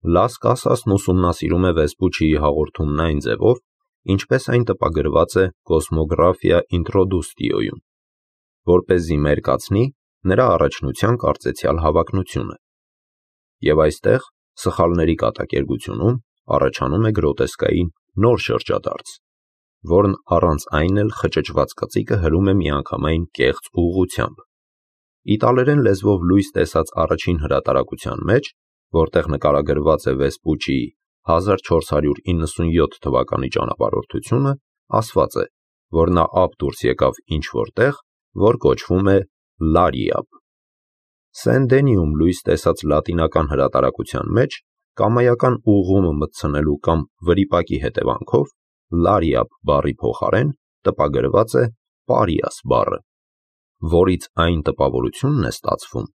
Լաս Կասասն ուսումնասիրում է Վեսպուչիի հաղորդումն այն ձևով, ինչպես այն տպագրված է Կոսմոգրաֆիա ինտրոդուստիոյում, որպեսզի մերկացնի նրա առաջնության կարծեցյալ հավակնությունը։ Եվ այստեղ, սխալների կատակերգությունում, առաջանում է գրոտեսկային նոր շրջադարձ, որն առանց այն էլ խճճված կծիկը հրում է միանգամայն կեղծ ուղղությամբ։ Իտալերեն լեզվով լույս տեսած առաջին հրատարակության մեջ, որտեղ նկարագրված է Վեսպուչիի 1497 թվականի ճանապարհորդությունը, ասված է, որ նա ափ դուրս եկավ ինչ-որ տեղ, որ կոչվում է Լարիապ։ Սեն-Դենիում լույս տեսած լատինական հրատարակության մեջ կամայական ուղղումը մտցնելու կամ վրիպակի հետևանքով Լարիապ բառի փոխարեն տպագրված է Պարիաս բառը, որից այն տպավորությունն է ստացվում,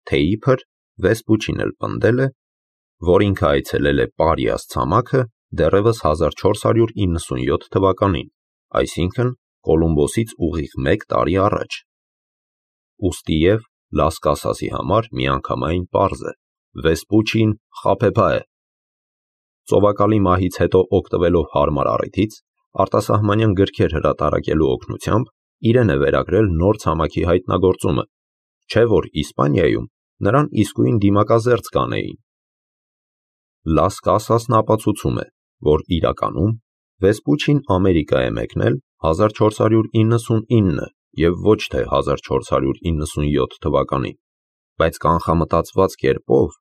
թե իբր Վեսպուչին էլ պնդել է, որ ինքը այցելել է Պարիաս ցամաքը դեռևս 1497 թվականին, այսինքն Կոլումբոսից ուղիղ 1 տարի առաջ։ Ուստիև Լաս Կասասի համար միանգամայն պարզ է. Վեսպուչին խաբեբա է։ Ծովակալի մահից հետո օգտվելով հարմար առիթից, արտասահմանյան գրքեր հրատարակելու օգնությամբ իրեն է վերագրել նոր ցամաքի հայտնագործումը, չէ որ Իսպանիայում նրան իսկույն դիմակազերծ կանեին։ Լաս Կասասն ապացուցում է, որ իրականում Վեսպուչին Ամերիկա է մեկնել 1499 և ոչ թե 1497 թվականին, բայց կանխամտածված կերպով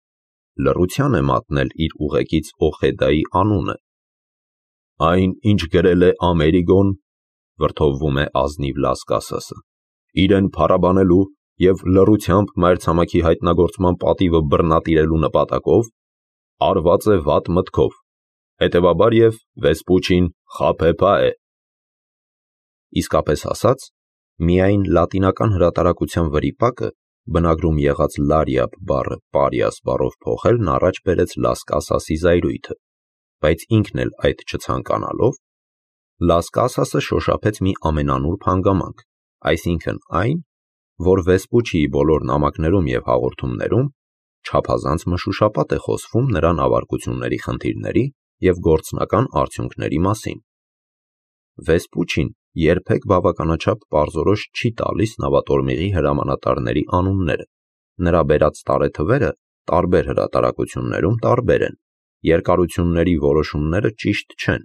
լռության է մատնել իր ուղեկից Օխեդայի անունը։ Այն, ինչ գրել է Ամերիգոն, վրդովվում է ազնիվ Լաս Կասասը, իրեն փառաբանելու և լռությամբ մայրցամաքի հայտնագործման պատիվը բռնատիրելու նպատակով, արված է վատ մտքով, հետևաբար և Վեսպուչին խաբեբա է։ Իսկապես ասած, միայն լատինական հրատարակության վրիպակը բնագրում եղած Լարիապ բառը Պարիաս բառով փոխելն առաջ բերեց Լաս Կասասի զայրույթը, բայց ինքն էլ այդ չցանկանալով, Լաս Կասասը շոշափեց մի ամենանուրբ հանգամանք, այսինքն այն, որ Վեսպուչիի բոլոր նամակներում և հաղորդումներում չափազանց մշուշապատ է խոսվում նրա նավարկությունների խնդիրների և գործնական արդյունքների մասին։ Վեսպուչին երբեք բավականաչափ պարզորոշ չի տալիս նավատորմիղի հրամանատարների անունները, նրա բերած տարեթվերը տարբեր հրատարակություններում տարբեր են, երկարությունների որոշումները ճիշտ չեն։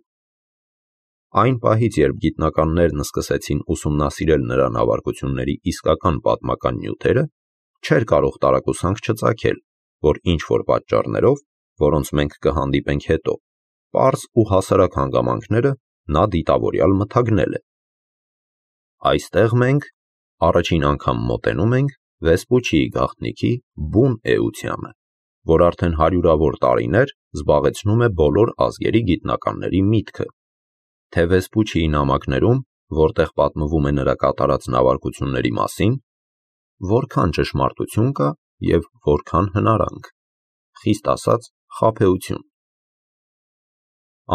Այն պահից, երբ գիտնականներն սկսեցին ուսումնասիրել նրա նավարկությունների իսկական պատմական նյութերը, չէր կարող տարակուսանք չծագել, որ ինչ-որ պատճառներով, որոնց մենք կհանդիպենք հետո, պարզ ու հասարակ հանգամանքները նա դիտավորյալ մթագնել է։ Այստեղ մենք առաջին անգամ մոտենում ենք Վեսպուչիի գաղտնիքի բուն էությանը, որ արդեն հարյուրավոր տարիներ զբաղեցնում է բոլոր ազգերի գիտնականների միտքը, թե Վեսպուչիի նամակներում, որտեղ պատմվում է նրա կատարած նավարկությունների մասին, որքան ճշմարտություն կա և որքան հնարանք, խիստ ասած խաբեություն։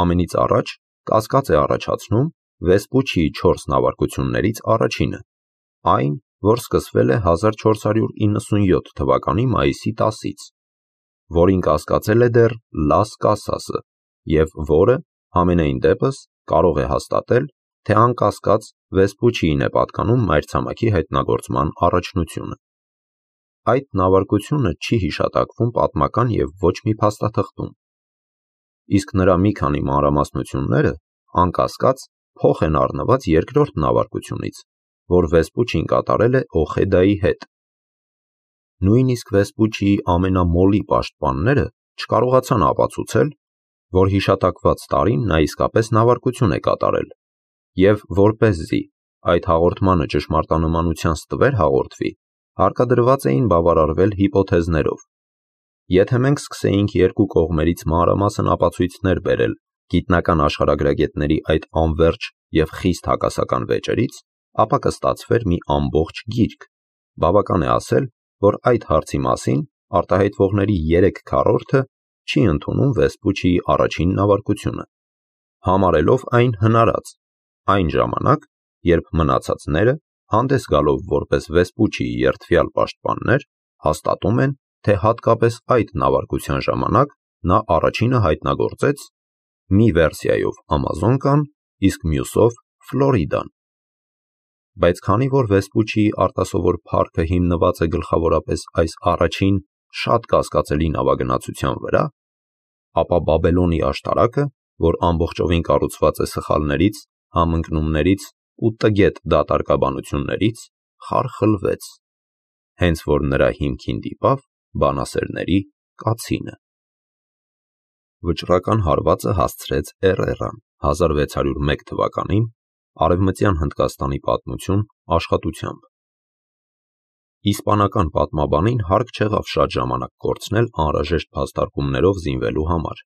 Ամենից առաջ կասկած է առաջացնում Վեսպուչիի 4 նավարկություններից առաջինը, այն, որ սկսվել է 1497 թվականի մայիսի 10-ից, որին կասկածել է դեռ Լաս Կասասը և որը, համենայն դեպս, կարող է հաստատել, թե անկասկած Վեսպուչիին է պատկանում մայրցամաքի հայտնագործման առաջնությունը։ Այդ նավարկությունը չի հիշատակվում պատմական և ոչ մի փաստաթղթում, իսկ նրա մի քանի մանրամասնությունները, անկասկած, փոխ են առնված երկրորդ նավարկությունից, որ Վեսպուչին կատարել է Օխեդայի հետ։ Նույնիսկ Վեսպուչիի ամենամոլի պաշտպանները չկարողացան ապացուցել, որ հիշատակված տարին նա իսկապես նավարկություն է կատարել, և որպեսզի այդ հաղորդմանը ճշմարտանմանության ստվեր հաղորդվի, հարկադրված էին բավարարվել հիպոթեզներով։ Եթե մենք սկսեինք երկու կողմերից մանրամասն ապացույցներ բերել գիտնական աշխարհագրագետների այդ անվերջ և խիստ հակասական վեճերից, ապա կստացվեր մի ամբողջ գիրք։ Բավական է ասել, որ այդ հարցի մասին արտահայտվողների 3/4-ը չի ընդունում Վեսպուչիի առաջին նավարկությունը, համարելով այն հնարած, այն ժամանակ, երբ մնացածները, հանդես գալով որպես Վեսպուչիի երդվյալ պաշտպաններ, հաստատում են, թե հատկապես այդ նավարկության ժամանակ նա առաջինը հայտնագործեց մի վերսիայով Ամազոնկան, իսկ մյուսով Ֆլորիդան։ Բայց քանի որ Վեսպուչիի արտասովոր փառքը հիմնված է գլխավորապես այս առաջին շատ կասկածելի նավագնացության վրա, ապա Բաբելոնի աշտարակը, որ ամբողջովին կառուցված է սխալներից, համընկնումներից ու տգետ դատարկաբանություններից, խարխլվեց, հենց որ նրա հիմքին դիպավ բանասերների կացինը։ Վճռական հարվածը հասցրեց Էրեռան 1601 թվականին Արևմտյան Հնդկաստանի պատմություն աշխատությամբ։ Իսպանական պատմաբանին հարկ չեղավ շատ ժամանակ կորցնել անհրաժեշտ փաստարկումներով զինվելու համար,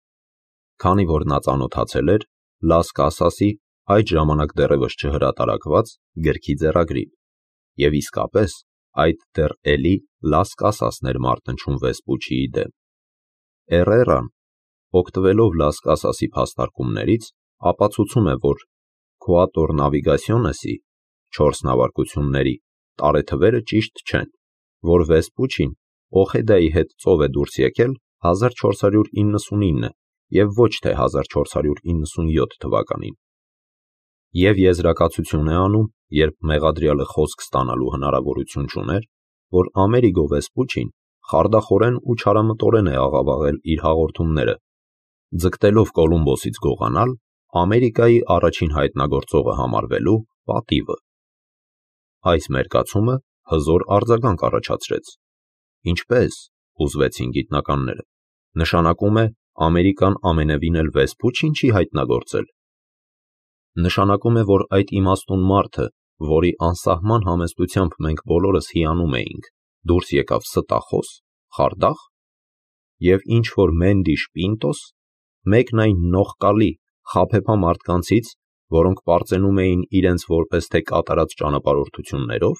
քանի որ նա ծանոթացել էր Լաս Կասասի այդ ժամանակ դեռևս չհրատարակված գրքի ձեռագրին, և իսկապես այդ դեռ էլի Լաս Կասասն էր մարտնչում Վեսպուչիի դեմ։ Էրեռան, օգտվելով Լաս Կասասի փաստարկումներից, ապացուցում է, որ Քուատոր նավիգասիոնեսի 4 նավարկությունների տարեթվերը ճիշտ չեն, որ Վեսպուչին Օխեդայի հետ ծով է դուրս եկել 1499 և ոչ թե 1497 թվականին, և եզրակացություն է անում, երբ մեղադրյալը խոսք ստանալու հնարավորություն չուներ, որ Ամերիգո Վեսպուչին խարդախորեն ու չարամտորեն է աղավաղել իր հաղորդումները, ձգտելով Կոլումբոսից գողանալ Ամերիկայի առաջին հայտնագործողը համարվելու պատիվը։ Այս մերկացումը հզոր արձագանք առաջացրեց։ Ինչպե՞ս, հուզվեցին գիտնականները, նշանակում է Ամերիկան ամենևին էլ Վեսպուչին չի հայտնագործել։ Նշանակում է, որ այդ իմաստուն մարդը, որի անսահման համեստությամբ մենք բոլորս հիանում էինք, դուրս եկավ ստախոս, խարդախ, և ինչ-որ Մենդիշ Պինտոս, մեկն այն նողկալի, խաբեբա մարդկանցից, որոնք պարծենում էին իրենց որպես թե կատարած ճանապարհորդություններով։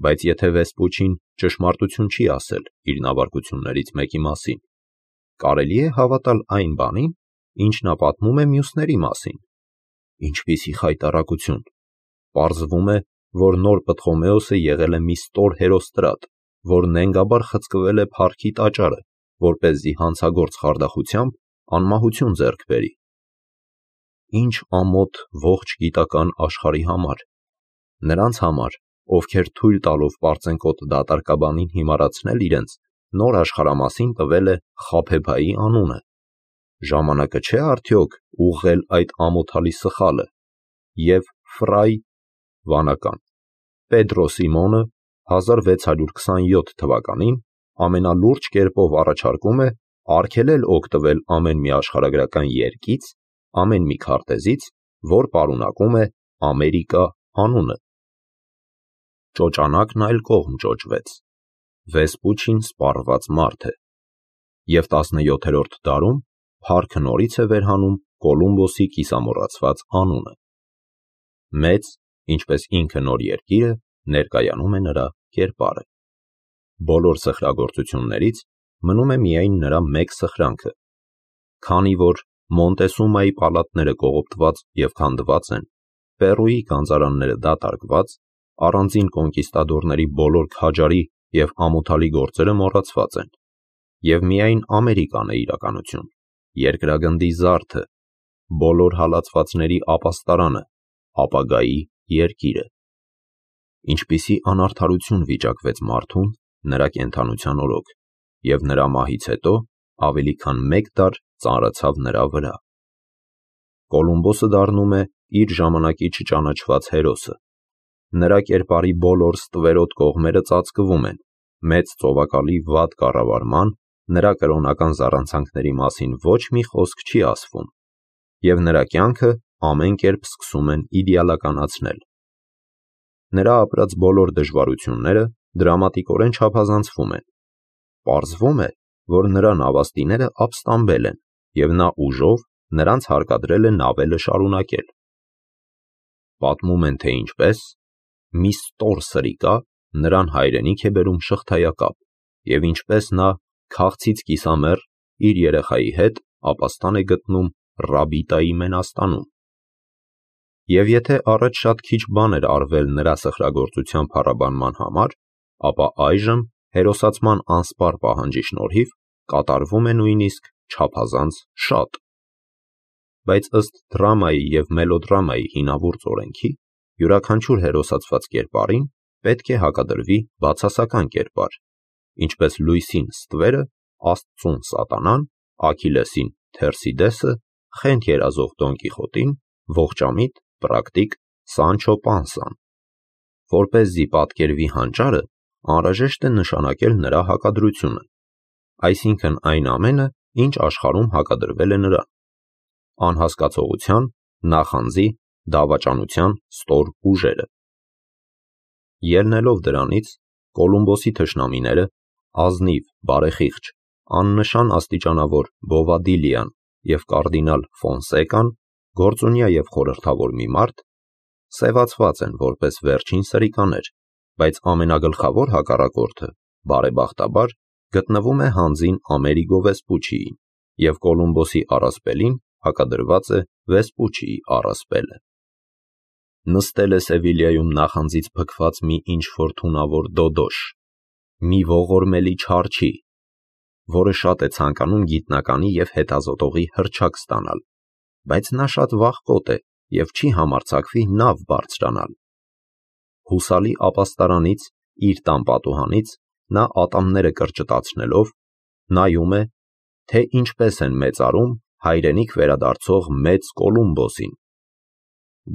Բայց եթե Վեսպուչին ճշմարտություն չի ասել իր նավարկություններից մեկի մասին, կարելի է հավատալ այն բանին, ինչ նա պատմում է մյուսների մասին։ Ինչպիսի խայտառակություն։ Պարզվում է, որ նոր Պտղոմեոսը եղել է մի ստոր հերոստրատ, որ նենգաբար խցկվել է փառքի տաճարը, որպեսզի հանցագործ խարդախությամբ անմահություն ձեռք բերի։ Ինչ ամոթ ողջ գիտական աշխարհի համար, նրանց համար, ովքեր թույլ տալով պարծենկոտ դատարկաբանին հիմարացնել իրենց, նոր աշխարհամասին տվել է խաբեբայի անունը։ Ժամանակը չէ արդյոք ուղղել այդ ամոթալի սխալը, և Ֆրայ վանական Պեդրո Սիմոնը 1627 թվականին ամենալուրջ կերպով առաջարկում է արգելել օգտվել ամեն մի աշխարհագրական երկից, ամեն մի քարտեզից, որ պարունակում է Ամերիկա անունը։ Ճոճանակն այլ կողմ ճոճվեց։ Վեսպուչին սպառված մարդ է, և 17-րդ դարում փառքը նորից է վերհանում Կոլումբոսի կիսամոռացված անունը։ Մեծ, ինչպես ինքը նոր երկիրը, ներկայանում է նրա կերպարը։ Բոլոր սխրագործություններից մնում է միայն նրա մեկ սխրանքը։ Քանի որ Մոնտեսումայի պալատները կողոպտված և քանդված են, Պերուի գանձարանները դատարկված, առանձին կոնկիստադորների բոլոր քաջարի և ամոթալի գործերը մոռացված են, և միայն Ամերիկան է իրականություն, երկրագնդի զարդը, բոլոր հալածվածների ապաստարանը, ապագայի երկիրը։ Ինչպիսի անարդարություն վիճակվեց մարդուն նրա կենդանության օրոք, և նրա մահից հետո ավելի քան մեկ դար ծանրացավ նրա վրա։ Կոլումբոսը դառնում է իր ժամանակի չճանաչված հերոսը։ Նրա կերպարի բոլոր ստվերոտ կողմերը ծածկվում են, մեծ ծովակալի վատ կառավարման, նրա կրոնական զառանցանքների մասին ոչ մի խոսք չի ասվում, և նրա կյանքը ամեն կերպ սկսում են իդեալականացնել։ Նրա ապրած բոլոր դժվարությունները դրամատիկորեն չափազանցվում են։ Պարզվում է, որ նրա նավաստիները ապստամբել են, և նա ուժով նրանց հարկադրել է նավելը շարունակել։ Պատմում են, թե ինչպես մի ստոր սրիկա նրան հայրենիք է բերում շղթայակապ, և ինչպես նա քաղցից կիսամեռ իր երեխայի հետ ապաստան է գտնում Ռաբիտայի մենաստանում։ Եվ եթե առաջ շատ քիչ բան էր արվել նրա սխրագործության փառաբանման համար, ապա այժմ հերոսացման անսպառ պահանջի շնորհիվ կատարվում է նույնիսկ չափազանց շատ։ Բայց ըստ դրամայի և մելոդրամայի հինավուրց օրենքի, յուրաքանչյուր հերոսացված կերպարին պետք է հակադրվի բացասական կերպար, ինչպես լույսին ստվերը, աստծուն սատանան, Աքիլեսին Թերսիդեսը, խենթ երազող Դոն Կիխոտին, ողջամիտ, պրակտիկ Սանչո Պանսան։ Որպեսզի պատկերվի հանճարը, անհրաժեշտ է նշանակել նրա հակադրությունը, այսինքն այն ամենը, ինչ աշխարհում հակադրվել է նրան, անհասկացողության, նախանձի, դավաճանության ստոր ուժերը։ Ելնելով դրանից, Կոլումբոսի թշնամիները, ազնիվ, բարեխիղճ, աննշան աստիճանավոր Բովադիլիան և կարդինալ Ֆոնսեկան, գործունյա և խորհրդավոր մի մարդ, սևացված են որպես վերջին սրիկաներ, բայց ամենագլխավոր հակառակորդը, բարեբախտաբար, գտնվում է հանձին Ամերիգո Վեսպուչիին, և Կոլումբոսի առասպելին հակադրված է Վեսպուչիի առասպելը։ Նստել է Սևիլիայում նախանձից փքված մի ինչ-որ թունավոր դոդոշ, մի ողորմելի չարչի, որը շատ է ցանկանում գիտնականի և հետազոտողի հռչակ ստանալ, բայց նա շատ վախկոտ է և չի համարձակվի նավ բարձրանալ։ Հուսալի ապաստարանից, իր տան պատուհանից, նա ատամները կրճտացնելով, նայում է, թե ինչպես են մեծարում հայրենիք վերադարձող մեծ Կոլումբոսին։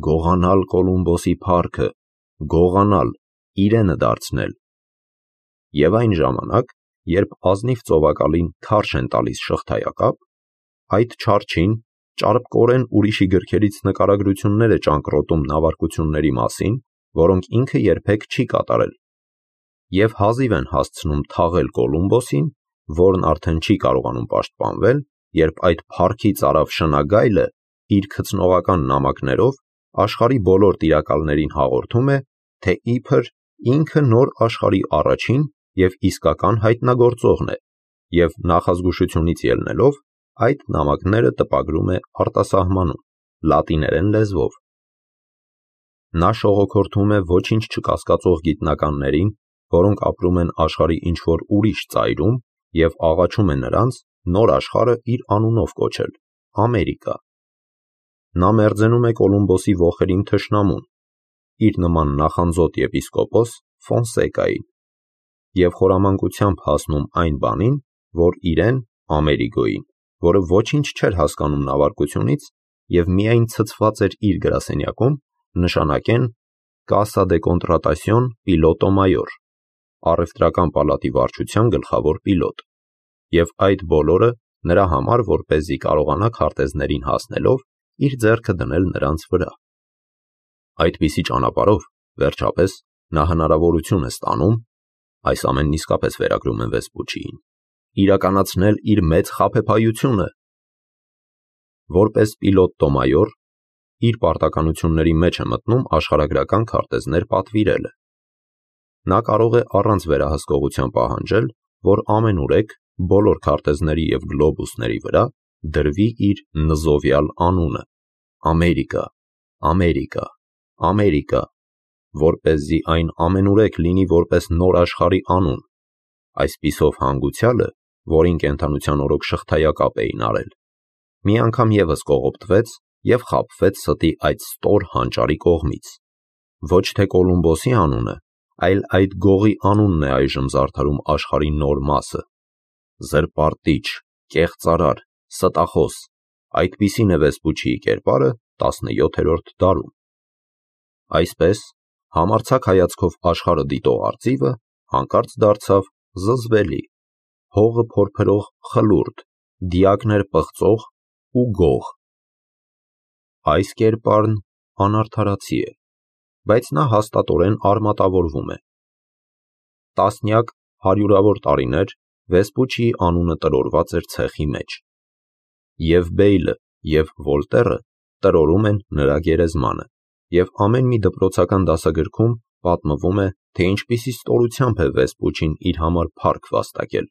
Գողանալ Կոլումբոսի փառքը, գողանալ, իրենը դարձնել։ Եվ այն ժամանակ, երբ ազնիվ ծովակալին քարշ են տալիս շղթայակապ, այդ չարչին ճարպկորեն ուրիշի գրքերից նկարագրություններ է ճանկռոտում նավարկությունների մասին, որոնք ինքը երբեք չի կատարել, և հազիվ են հասցնում թաղել Կոլումբոսին, որն արդեն չի կարողանում պաշտպանվել, երբ այդ փառքի ծարավ շնագայլը իր քծնողական նամակներով աշխարհի բոլոր տիրակալներին հաղորդում է, թե իբր ինքը նոր աշխարհի առաջին և իսկական հայտնագործողն է, և նախազգուշությունից ելնելով, այդ նամակները տպագրում է արտասահմանում, լատիներեն լեզվով։ Նա շողոքորթում է ոչինչ չկասկածող գիտնականներին, որոնք ապրում են աշխարհի ինչ-որ ուրիշ ծայրում, և աղաչում է նրանց նոր աշխարհը իր անունով կոչել՝ Ամերիկա։ Նա մերձենում է Կոլումբոսի ոխերիմ թշնամուն, իր նման նախանձոտ եպիսկոպոս Ֆոնսեկային, և խորամանկությամբ հասնում այն բանին, որ իրեն, Ամերիգոին, որը ոչինչ չէր հասկանում նավարկությունից և միայն ցցված էր իր գրասենյակում, նշանակեն Casa de Contratación Piloto Mayor, առևտրական պալատի վարչության գլխավոր պիլոտ, և այդ բոլորը նրա համար, որպեսզի կարողանա քարտեզներին հասնելով, իր ձեռքը դնել նրանց վրա։ Այդպիսի ճանապարհով, վերջապես, նա հնարավորություն է ստանում, այս ամենն իսկապես վերագրում են Վեսպուչիին, իրականացնել իր մեծ խաբեբայությունը։ Որպես պիլոտո մայոր, իր պարտականությունների մեջ է մտնում աշխարհագրական քարտեզներ պատվիրելը։ Նա կարող է առանց վերահսկողության պահանջել, որ ամենուրեք բոլոր քարտեզների և գլոբուսների վրա դրվի իր նզովյալ անունը՝ Ամերիկա, Ամերիկա, Ամերիկա, որպեսզի այն ամենուրեք լինի որպես նոր աշխարհի անուն, այսպիսով հանգուցյալը, որին կենդանության օրոք շղթայակապ էին արել, մի անգամ ևս կողոպտվեց և խաբվեց ստի այդ ստոր հանճարի կողմից։ Ոչ թե Կոլումբոսի անունը, այլ այդ գողի անունն է այժմ զարդարում աշխարհի նոր մասը։ Զրպարտիչ, կեղծարար, ստախոս, այդպիսին է Վեսպուչիի կերպարը 17-րդ դարում։ Այսպես, համարձակ հայացքով աշխարհը դիտող արծիվը հանկարծ դարձավ զզվելի, հողը փորփրող խլուրդ, դիակներ պղծող ու գող։ Այս կերպարն անարդարացի է, բայց նա հաստատորեն արմատավորվում է։ Տասնյակ, հարյուրավոր տարիներ Վեսպուչիի անունը տրորված էր ցեխի մեջ։ Եվ Բեյլը, և Վոլտերը տրորում են նրա գերեզմանը, և ամեն մի դպրոցական դասագրքում պատմվում է, թե ինչպիսի ստորությամբ է Վեսպուչին իր համար փառք վաստակել,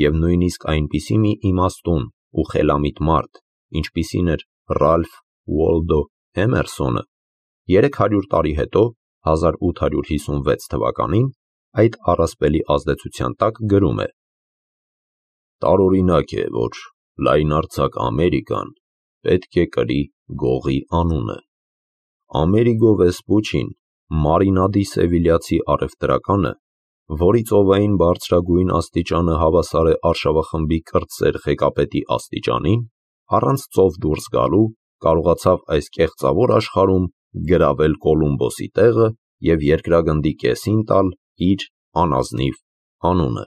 և նույնիսկ այնպիսի մի իմաստուն ու խելամիտ մարդ, ինչպիսին էր Ռալֆ Ուոլդո Էմերսոնը, 300 տարի հետո, 1856 թվականին, այդ առասպելի ազդեցության տակ գրում է. «Տարօրինակ է, որ լայնարձակ Ամերիկան պետք է կրի գողի անունը։ Ամերիգո Վեսպուչին, Մարինադի սևիլյացի առևտրականը, որի ծովային բարձրագույն աստիճանը հավասար է արշավախմբի կրտսեր ղեկապետի աստիճանին, առանց ծով դուրս գալու կարողացավ այս կեղծավոր աշխարհում գրավել Կոլումբոսի տեղը և երկրագնդի կեսին տալ իր անազնիվ անունը։